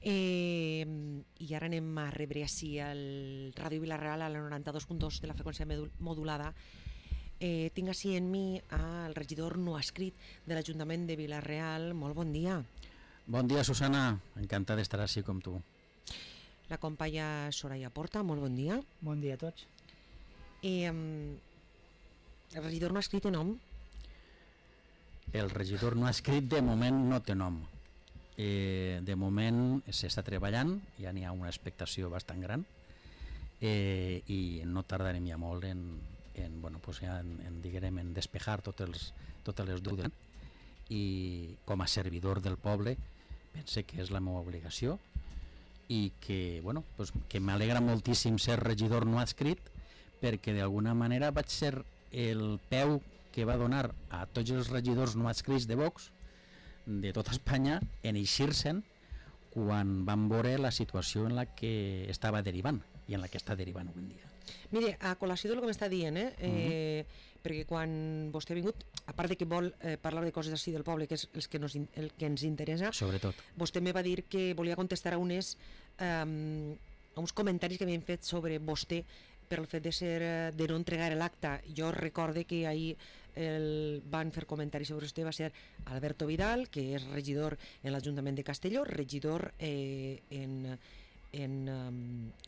I ara anem a rebre així el Ràdio Vila-real a la 92.2 de la freqüència modulada. Tinc així en mi el regidor no escrit de l'Ajuntament de Vila-real. Molt bon dia. Bon dia, Susana, encantada d'estar així com tu. La companya Soraya Porta, molt bon dia. Bon dia a tots. El regidor no escrit té nom? El regidor no escrit de moment no té nom. De moment s'està treballant, ja n'hi ha una expectació bastant gran, i no tardarem ja molt en despejar totes les dubtes, i com a servidor del poble pense que és la meva obligació i que, que m'alegra moltíssim ser regidor no adscrit, perquè d'alguna manera vaig ser el peu que va donar a tots els regidors no adscrits de Vox de tota Espanya en eixir-se'n quan van veure la situació en la que estava derivant i en la que està derivant avui en dia. Mire, a col·lació del que m'està dient, perquè quan vostè ha vingut, a part de que vol parlar de coses així del poble, que és el que ens interessa, sobretot, vostè me va dir que volia contestar a uns comentaris que havien fet sobre vostè per el fet de no entregar l'acta. Jo recorde que ahir van fer comentaris sobre vostè, va ser Alberto Vidal, que és regidor en l'Ajuntament de Castelló, regidor en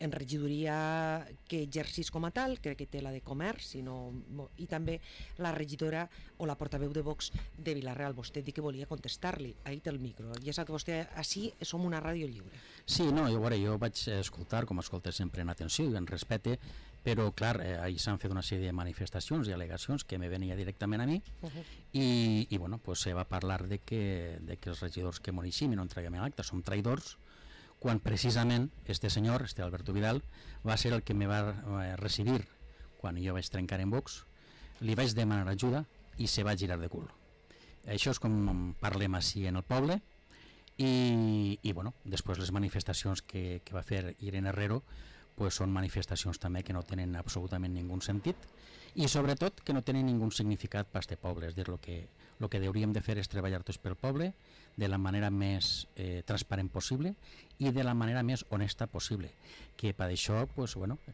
regidoria que exercís com a tal, crec que té la de comerç, i també la regidora o la portaveu de Vox de Vila-real. Vostè diu que volia contestar-li, ahir té el micro, ja sap que vostè així som una ràdio lliure. Sí, jo vaig escoltar, com escolto sempre, en atenció i en respecte, però clar, ahir s'han fet una sèrie de manifestacions i al·legacions que me venia directament a mi, i se va parlar de que els regidors que m'oneixim i no entreguem l'acta som traïdors, quan precisament este Alberto Vidal, va ser el que me va recibir quan jo vaig trencar en Vox, li vaig demanar ajuda i se va girar de cul. Això és com parlem així en el poble, i després les manifestacions que va fer Irene Herrero són manifestacions també que no tenen absolutament ningú sentit i sobretot que no tenen ningú significat per este poble. És dir, el que hauríem de fer és treballar tots pel poble de la manera més transparent possible i de la manera més honesta possible, que per això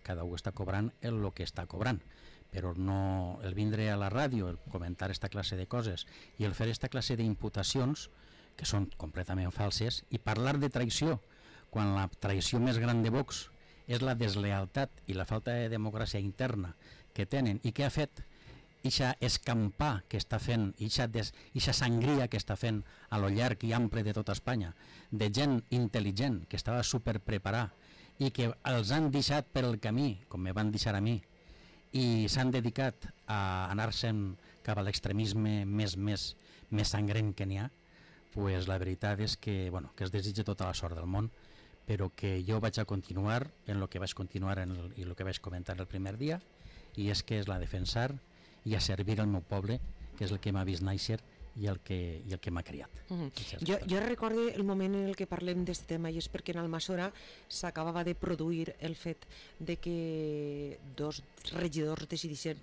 cada un està cobrant el que està cobrant, però no el vindre a la ràdio, el comentar esta classe de coses i el fer esta classe d'imputacions que són completament falses, i parlar de traïció quan la traïció més gran de Vox és la deslealtat i la falta de democràcia interna que tenen i que ha fet ixa escampar que està fent, ixa sangria que està fent a lo llarg i ample de tota Espanya, de gent intel·ligent que estava superpreparada i que els han deixat per el camí, com me van deixar a mi, i s'han dedicat a anar-se'n cap a l'extremisme més sangrent que n'hi ha, la veritat és que es desitja tota la sort del món, però que jo vaig a continuar en el que vaig continuar i el que vaig comentar el primer dia, i és que és la defensar i a servir al meu poble, que és el que m'ha vist néixer i el que m'ha criat. Jo recordo el moment en què parlem d'aquest tema, i és perquè en Almassora s'acabava de produir el fet de que dos regidors decidissin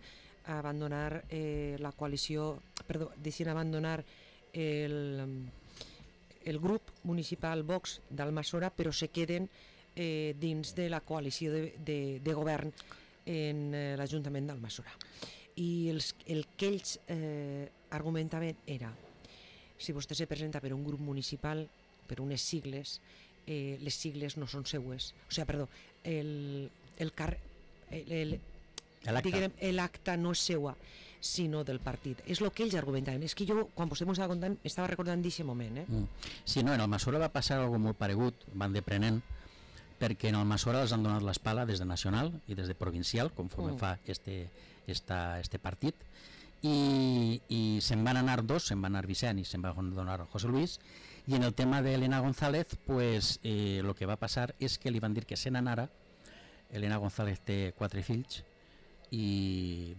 abandonar la coalició, decidissin abandonar el grup municipal Vox d'Almassora, però se queden dins de la coalició de govern en l'Ajuntament d'Almassora. I el que ells argumentaven era: si vostè se presenta per un grup municipal, per unes sigles, les sigles no són seues, l'acta no és seua, sinó del partit. És el que ells argumentaven. És que jo, quan vostè m'ho estava contant, estava recordant d'aquest moment. Sí, en Almassora va passar alguna molt paregut, van deprenent, perquè en Almassora els han donat l'espala des de nacional i des de provincial, conforme fa este partit, i se'n van anar dos, se'n va anar Vicent i se'n va donar José Luis, i en el tema d'Elena González, el que va passar és que li van dir que se n'anara. Elena González té 4 fills, i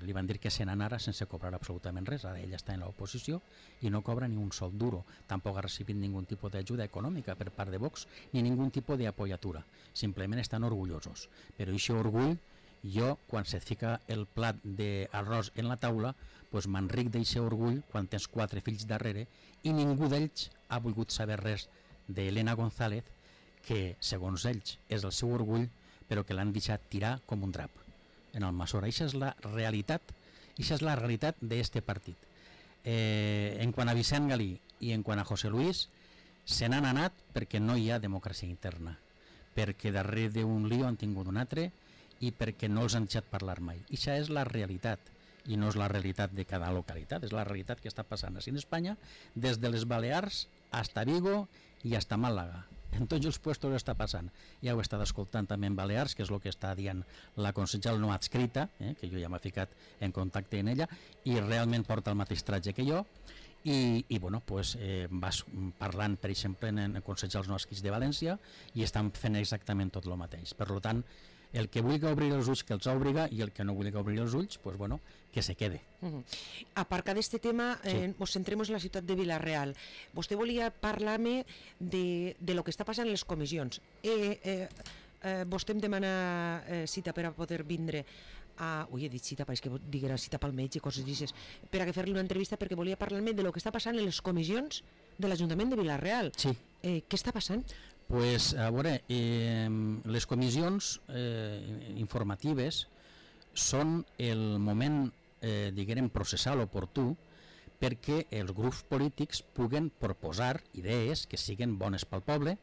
li van dir que se n'anara sense cobrar absolutament res. Ara ella està en l'oposició i no cobra ni un sol duro, tampoc ha recibit ningú tipus d'ajuda econòmica per part de Vox ni ningú tipus d'apoyatura, simplement estan orgullosos. Però aquest orgull, jo, quan se't fica el plat d'arròs en la taula, m'enric d'aquest orgull quan tens 4 fills darrere i ningú d'ells ha volgut saber res d'Helena González, que segons ells és el seu orgull, però que l'han deixat tirar com un drap en Almassora. Això és la realitat, això és la realitat d'este partit. En quant a Vicent Galí i en quant a José Luis, se n'han anat perquè no hi ha democràcia interna, perquè darrere d'un lío han tingut un altre i perquè no els han deixat parlar mai. Això és la realitat, i no és la realitat de cada localitat, és la realitat que està passant així en Espanya, des de les Balears hasta Vigo i hasta Màlaga. En tots els puestos està passant. Ja ho he estat escoltant també en Balears, que és el que està dient la consellera no adscrita, que jo ja m'he ficat en contacte amb ella, i realment porta el mateix tratge que jo, i bueno, pues, vas parlant, per exemple, en consellers no adscrits de València, i estan fent exactament tot el mateix. Per tant, el que vulgui obrir els ulls que els obriga, i el que no vulgui obrir els ulls, pues, bueno, que se quede. Aparcat d'este tema, ens centrem en la ciutat de Vila-real. Vostè volia parlar-me de lo que està passant en les comissions. Vostè em demana cita per a poder vindre he dit cita, pareix que diguera cita pel metge, coses d'aixes, per a fer-li una entrevista, perquè volia parlar-me de lo que està passant en les comissions de l'Ajuntament de Vila-real. Sí. Què està passant? Pues, a veure, les comissions informatives són el moment, diguem, processal oportú perquè els grups polítics puguen proposar idees que siguin bones pel poble,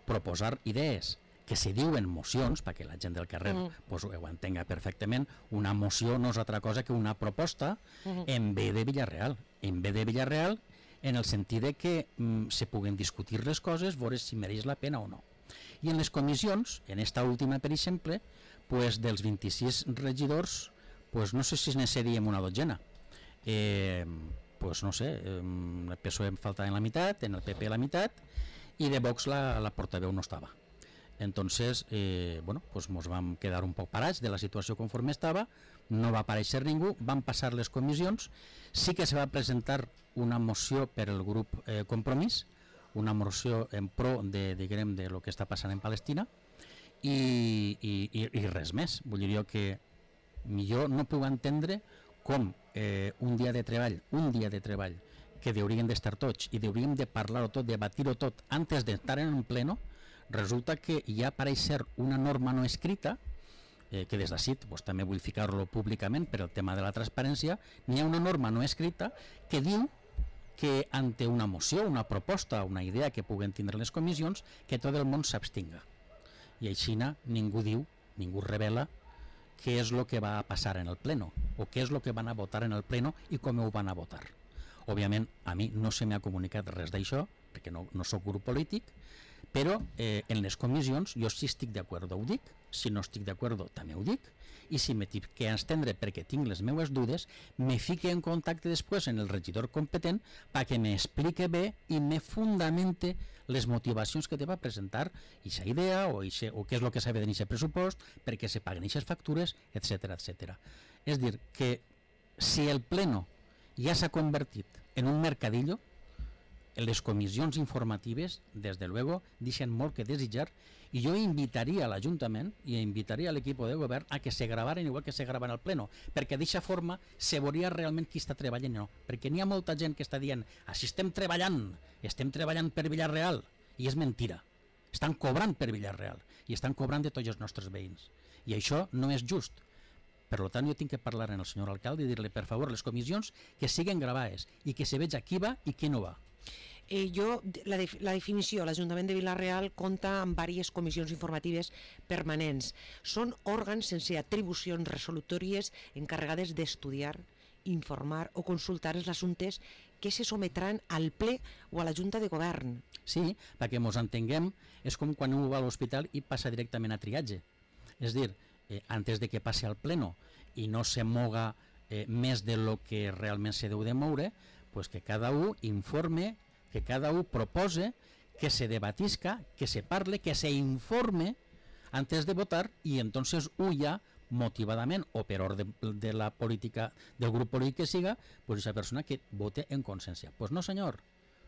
proposar idees que se diuen mocions, perquè la gent del carrer pues, ho entenga perfectament. Una moció no és altra cosa que una proposta en bé de Vila-real. En bé de Vila-real, en el sentit de que se puguen discutir les coses, veure si mereix la pena o no. I en les comissions, en esta última, per exemple, pues, dels 26 regidors, pues, no sé si ne seríem una dotzena. Pues, no sé, el PSOE em faltava en la meitat, en el PP la meitat, i de Vox la portaveu no estava. Entonces, bueno, pues nos vam quedar un poc parats de la situació conforme estava, no va aparèixer ningú, van passar les comissions, sí que se va presentar una moció per el grup Compromís, una moció en pro de, diguem, de lo que està passant en Palestina, i res més. Vull dir jo que jo no puc entendre com un dia de treball que hauríem d'estar tots i hauríem de parlar-ho tot, debatir-ho tot antes d'estar en un pleno, resulta que hi ha pareix ser una norma no escrita, que des d'ací pues, també vull ficar-lo públicament per el tema de la transparència, n'hi ha una norma no escrita que diu que ante una moció, una proposta, una idea que puguen tindre les comissions, que tot el món s'abstinga. I així ningú diu, ningú revela què és el que va passar en el pleno, o què és el que van a votar en el pleno i com ho van a votar. Òbviament, a mi no se m'ha comunicat res d'això, perquè no soc grup polític, però en les comissions jo si estic d'acord ho dic, si no estic d'acord també ho dic, i si me tinc que estendre perquè tinc les meues dudes, me fique en contacte després en el regidor competent perquè m'explique bé i me fundamente les motivacions que te va presentar aquesta idea o què és el que s'ha de tenir aquest pressupost, perquè se paguen aquestes factures, etc. etc. És dir, que si el pleno ja s'ha convertit en un mercadillo, les comissions informatives, des de luego, deixen molt que desitjar, i jo invitaria a l'Ajuntament i invitaria a l'equip de govern a que se gravaren igual que se graven al pleno, perquè d'aquesta forma se veuria realment qui està treballant o no, perquè n'hi ha molta gent que està dient així estem treballant per Vila-real, i és mentira, estan cobrant per Vila-real i estan cobrant de tots els nostres veïns, i això no és just. Per tant, jo tinc que parlar amb el senyor alcalde i dir-li, per favor, les comissions que siguen gravades i que se veja qui va i qui no va. La definició, l'Ajuntament de Vila-real compta amb diverses comissions informatives permanents. Són òrgans sense atribucions resolutòries encarregades d'estudiar, informar o consultar els assumptes que se sometran al ple o a la Junta de Govern. Sí, perquè ens entenguem, és com quan un va a l'hospital i passa directament a triatge. És dir, antes de que passi al pleno i no se moga més de lo que realment se deu de moure, pues que cada un informe, que cada un propose, que se debatisca, que se parle, que se informe antes de votar, i entonces ja motivadament o per ordre de la política del grup polític que siga, pues esa persona que vote en consciència. Pues no senyor,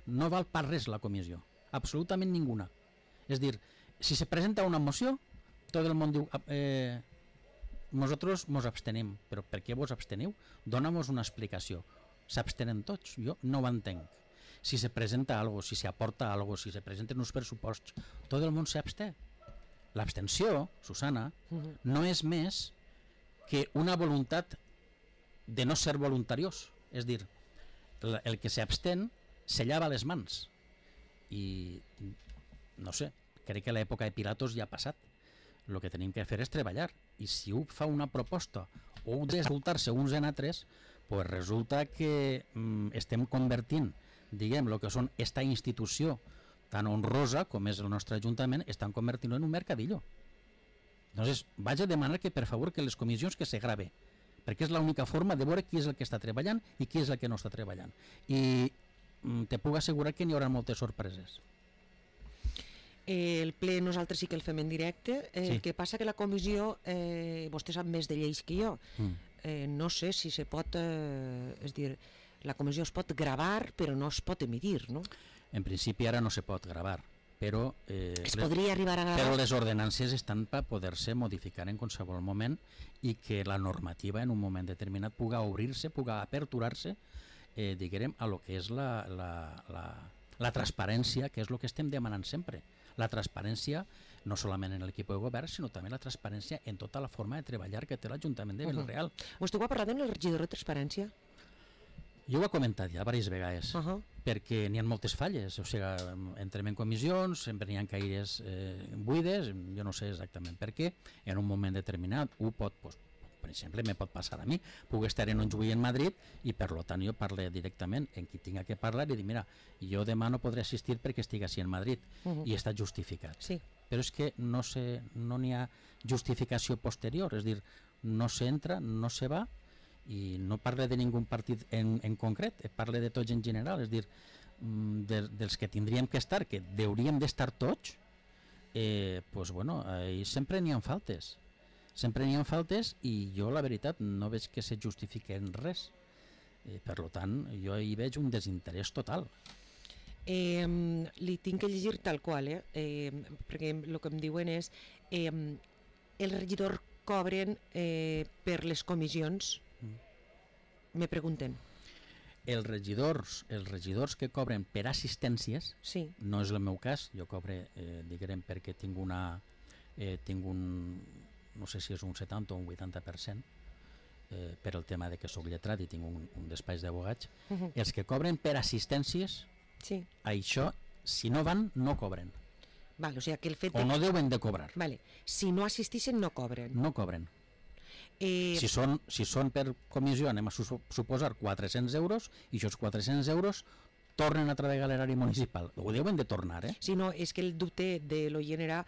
no val per res la comissió, absolutament ninguna. És dir, si se presenta una moció, tot el món diu nosaltres ens abstenim, però per què vos absteniu? Dóna-nos una explicació. S'abstenen tots, jo no ho entenc. si se presenta algo, si se aporta algo, si se presenten uns pressuposts, tot el món s'absté. L'abstenció, Susana, no és més que una voluntat de no ser voluntariós. És dir, el que s'abstén se llava les mans. I no sé, crec que l'època de Pilatos ja ha passat. El que tenim que fer és treballar. I si un fa una proposta o de escoltar-se uns en altres, pues resulta que estem convertint, diguem, el que són esta institució tan honrosa com és el nostre Ajuntament, estan convertint en un mercadillo. Entonces, vaig a demanar que, per favor, que les comissions que se grave, perquè és l'única forma de veure qui és el que està treballant i qui és el que no està treballant. I te puc assegurar que n'hi haurà moltes sorpreses. El ple nosaltres sí que el fem en directe, Sí. el que passa que la comissió, vostè sap més de lleis que jo, no sé si se pot, és dir, la comissió es pot gravar però no es pot emitir, no? En principi ara no se pot gravar, però Es podria arribar a gravar? però les ordenances estan per poder-se modificar en qualsevol moment i que la normativa en un moment determinat puga obrir-se, puga aperturar-se, diguem, a lo que és la transparència, que és el que estem demanant sempre. La transparència no solament en l'equip de govern, sinó també la transparència en tota la forma de treballar que té l'Ajuntament de Vila-real. Vostè ho ha parlat amb el regidor de Transparència? Jo ho he comentat ja diverses vegades, perquè n'hi ha moltes falles, o sigui, entrem en comissions, sempre n'hi ha caires buides, jo no sé exactament per què, en un moment determinat, per exemple, me pot passar a mi, puc estar en un juí en Madrid i per tant jo parlo directament en qui tinga que parlar i dir, mira, jo demà no podré assistir perquè estic així en Madrid i està justificat. Sí. Però és que no n'hi ha justificació posterior, és dir, no s'entra, no se va, i no parle de ningú partit en concret, parle de tots en general, és dir, dels que tindríem que estar, que hauríem d'estar tots, doncs bueno, sempre n'hi ha faltes. Sempre n'hi ha faltes i jo la veritat no veig que se justifiqui en res. Per tant, jo hi veig un desinterès total. Li tinc que llegir tal qual, perquè el que em diuen és el regidor cobren per les comissions, me pregunten. Els regidors que cobren per assistències, Sí. no és el meu cas, jo cobre, diguem, perquè tinc un, no sé si és un 70 o un 80%, per el tema de que sóc lletrat i tinc un despatx d'abogats, els que cobren per assistències, Sí. això, si no van, no cobren. Vale, o sigui que el fet O no deuen de cobrar. Vale. Si no assistixen, no cobren. No cobren. Si són per comissió, anem a suposar 400 euros, i aquests 400 euros tornen a través de l'erari municipal. Ho deuen de tornar, Si no, és que el dubte de l'oient era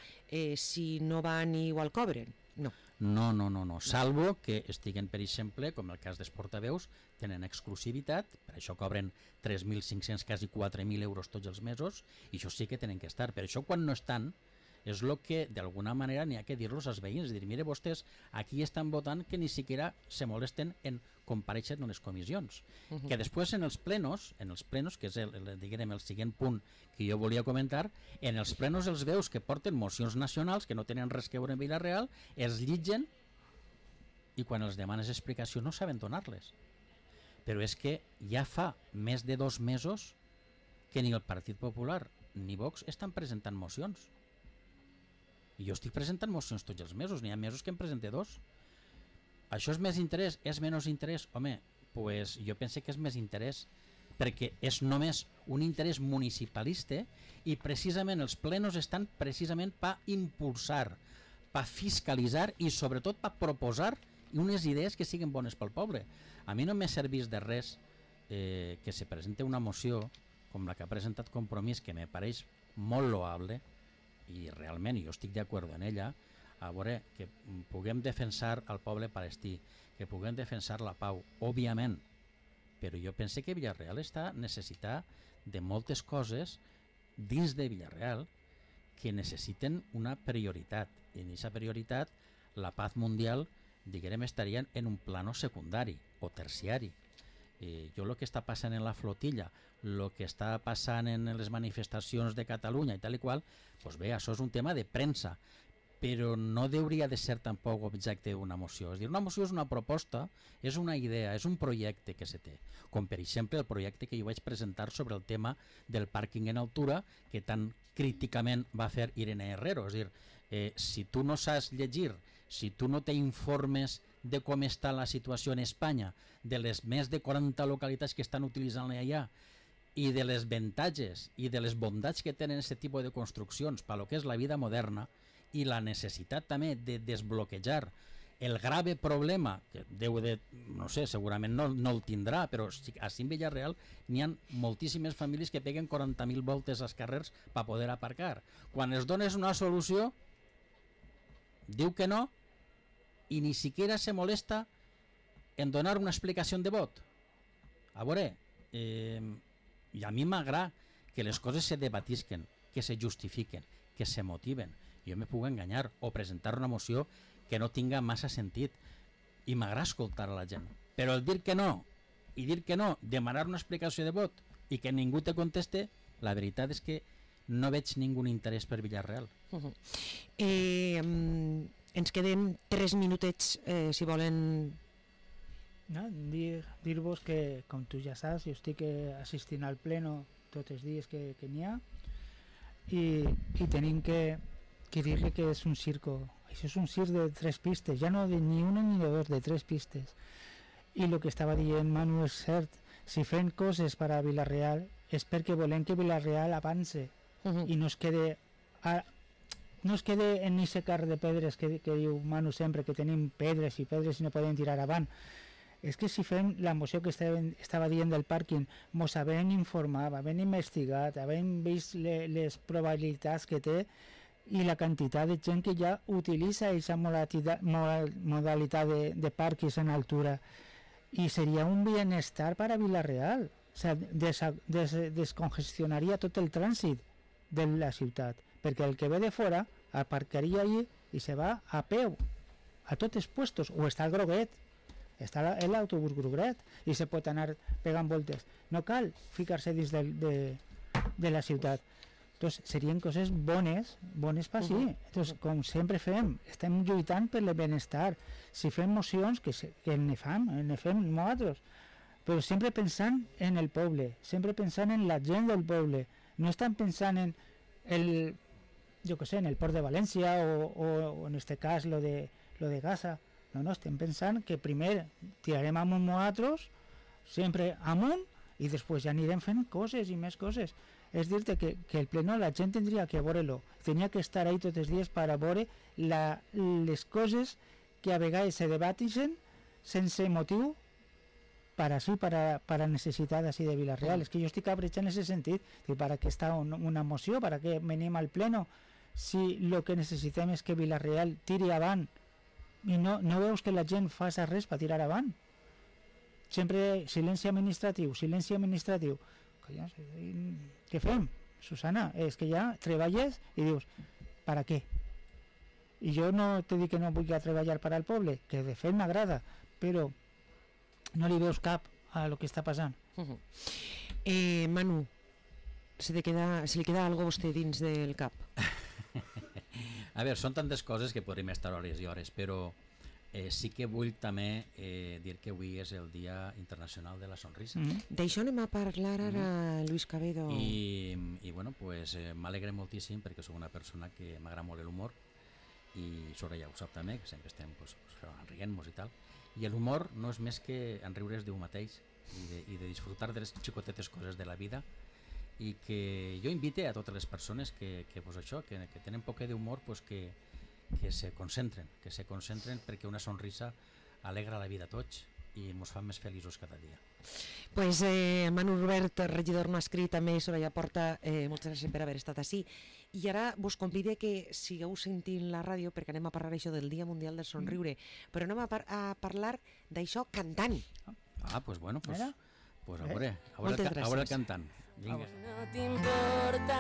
si no van igual cobren. No. No. Salvo que estiguen, per exemple, com el cas dels portaveus, tenen exclusivitat, per això cobren 3.500, quasi 4.000 euros tots els mesos, i això sí que tenen que estar. Per això, quan no estan, és el que d'alguna manera n'hi ha que dir-los als veïns, dir, mire, vostès aquí estan votant que ni siquiera se molesten en comparèixer en les comissions. Que després en els plenos, que és el següent punt que jo volia comentar, en els plenos els veus que porten mocions nacionals que no tenen res que veure en Vila-real, els llitgen i quan els demanes explicació no saben donar-les. Però és que ja fa més de 2 mesos que ni el Partit Popular ni Vox estan presentant mocions. I jo estic presentant mocions tots els mesos, n'hi ha mesos que en presente 2. Això és més interès? És menys interès? Home, pues jo pense que és més interès perquè és només un interès municipalista i precisament els plenos estan precisament per impulsar, per fiscalitzar i sobretot per proposar unes idees que siguin bones pel poble. A mi no m'ha servit de res que se presente una moció com la que ha presentat Compromís, que me pareix molt loable, i realment jo estic d'acord en ella, a veure, que puguem defensar el poble palestí, que puguem defensar la pau, òbviament, però jo pense que Vila-real està necessitat de moltes coses dins de Vila-real que necessiten una prioritat, i en aquesta prioritat la paz mundial, diguem, estaria en un plano secundari o terciari. Jo el que està passant en la flotilla, el que està passant en les manifestacions de Catalunya i tal i qual, doncs bé, això és un tema de premsa, però no hauria de ser tampoc objecte d'una moció. És dir, una moció és una proposta, és una idea, és un projecte que se té. Com per exemple el projecte que jo vaig presentar sobre el tema del pàrquing en altura que tan críticament va fer Irene Herrero. És dir, si tu no saps llegir, si tu no t'informes de com està la situació en Espanya, de les més de 40 localitats que estan utilitzant-la allà, i de les avantatges i de les bondats que tenen aquest tipus de construccions per lo que és la vida moderna i la necessitat també de desbloquejar el grave problema que deu de, no sé, segurament no el tindrà, però així en Villarreal n'hi ha moltíssimes famílies que peguen 40.000 voltes als carrers per poder aparcar. Quan es dones una solució diu que no i ni siquiera se molesta en donar una explicació de vot. A veure, i a mi m'agrada que les coses se debatisquen, que se justifiquen, que se motiven. Jo me puc enganyar o presentar una moció que no tinga massa sentit i m'agrada escoltar a la gent. Però el dir que no, i dir que no, demanar una explicació de vot i que ningú te conteste, la veritat és que no veig ningú interès per Villarreal. Ens queden 3 minutets, si volen. No, dir-vos que, com tu ja saps, jo estic assistint al pleno tots els dies que n'hi ha i tenim que dir-li que és un circo. Això és un circ de 3 pistes, ja no de ni una ni de 2, de 3 pistes. I el que estava dient Manu és cert, si fem coses per a Villarreal és perquè volem que Villarreal avance i no es quede en aquest carrer de pedres que diu Manu sempre, que tenim pedres i pedres i no podem tirar avant. És que si fem la moció que estava dient del pàrquing, mos havent informat, havent investigat, havent vist les probabilitats que té i la quantitat de gent que ja utilitza aquesta modalitat de pàrquings en altura, i seria un bienestar per a Villarreal. O sigui, descongestionaria tot el trànsit de la ciutat, perquè el que ve de fora aparcaria allí i se va a peu a tots els puestos, o està el groguet, està l'autobús grogret i se pot anar pegant voltes, no cal ficar-se dins de la ciutat. Entonces, serien coses bones per sí. Entonces, com sempre fem, estem lluitant per el benestar. Si fem mocions, que ne fem nosaltres, però sempre pensant en el poble, sempre pensant en la gent del poble. No estan pensant en en el port de València o en este cas lo de Gaza. No, estem pensant que primer tirarem amunt nosaltres, sempre amunt, i després ja anirem fent coses i més coses. És dir-te que el pleno la gent tindria que veure-lo, tenia que estar ahí tots els dies per a veure les coses que a vegades se debatixen sense motiu per a necessitat així de Villarreal. És que jo estic abrechant en aquest sentit, per a què està una moció, per a què venim al pleno, si el que necessitem és que Villarreal tiri avant i no veus que la gent fa res per tirar avant. Sempre silenci administratiu. Què fem, Susana? És que ja treballes i dius, per a què? I jo no te dic que no vull treballar per al poble, que de fet m'agrada, però no li veus cap a lo que està passant. Manu, se li queda algo a vostè dins del cap? A veure, són tantes coses que podríem estar hores i hores, però sí que vull també dir que avui és el Dia Internacional de la Sonrisa. D'això anem a parlar ara, Luis Cabedo. I bueno, pues, m'alegre moltíssim perquè soc una persona que m'agrada molt l'humor, i Sora ja ho sap també, que sempre estem rient-nos i tal. I l'humor no és més que enriure's d'un mateix i de disfrutar de les xicotetes coses de la vida, i que jo invite a totes les persones que tenen poc d'humor, pues que se concentren perquè una sonrisa alegra la vida a tots i ens fa més feliços cada dia. Pues Manu Robert, regidor no escrit, també Soraya Porta, moltes gràcies per haver estat així. I ara vos convide que sigueu sentint la ràdio, perquè anem a parlar això del Dia Mundial del Somriure, però anem a parlar d'això cantant. Pues bueno, pues a veure el cantant. No t'importa